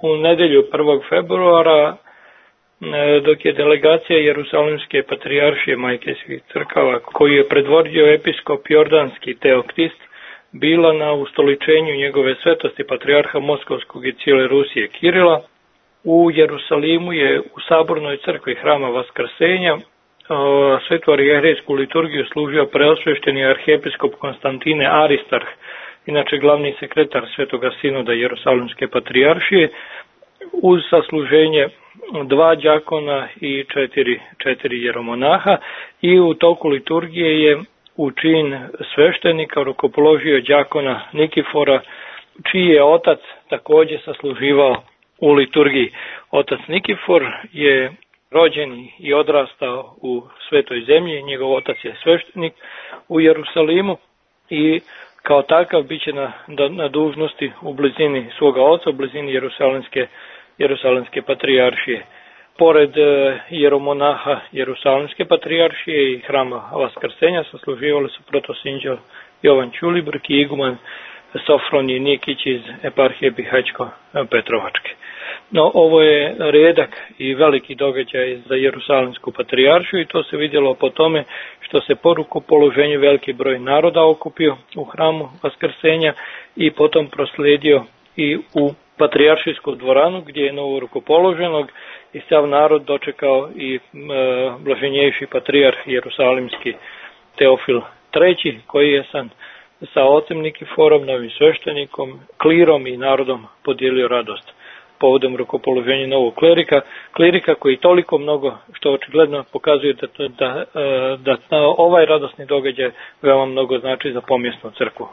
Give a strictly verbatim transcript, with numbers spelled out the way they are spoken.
u nedjelju prvog februara, dok je delegacija Jerusalimske patrijaršije Majke svih crkava, koju je predvodio episkop jordanski Teoktist, bila na ustoličenju njegove svetosti patrijarha Moskovskog i cijele Rusije Kirila. U Jerusalimu je u sabornoj crkvi Hrama Vaskrsenja svetu arhijerejsku liturgiju služio preosvešteni arhijepiskop Konstantine Aristarh, inače glavni sekretar Svetoga sinoda Jerusalimske patrijaršije, uz sasluženje dva đakona i četiri, četiri jeromonaha, i u toku liturgije je u čin sveštenika rukopoložio đakona Nikifora, čiji je otac također sasluživao u liturgiji. Otac Nikifor je rođen i odrastao u Svetoj zemlji, njegov otac je sveštenik u Jerusalimu i kao takav bit će na, na dužnosti u blizini svoga oca, u blizini Jerusalimske, Jerusalimske patrijaršije. Pored jeromonaha Jerusalimske patrijaršije i Hrama Vaskrsenja sasluživali su protosinđel Jovan Ćulibrk i iguman Sofronij Nikić iz eparhije Bihaćko-Petrovačke. No, ovo je redak i veliki događaj za Jerusalimsku patrijaršiju i to se vidjelo po tome što se po rukopoloženju veliki broj naroda okupio u Hramu Vaskrsenja i potom proslijedio i u patrijaršijsku dvoranu gdje je novo rukopoloženog i sav narod dočekao i e, blaženjejši patrijarh Jerusalimski Teofil treći, koji je sam sa ocem Nikiforom, novim sveštenikom, klirom i narodom podijelio radost povodom rukopoloženja novog klerika, klerika koji toliko mnogo, što očigledno pokazuje da, da, da, da ovaj radosni događaj veoma mnogo znači za pomjesnu crkvu.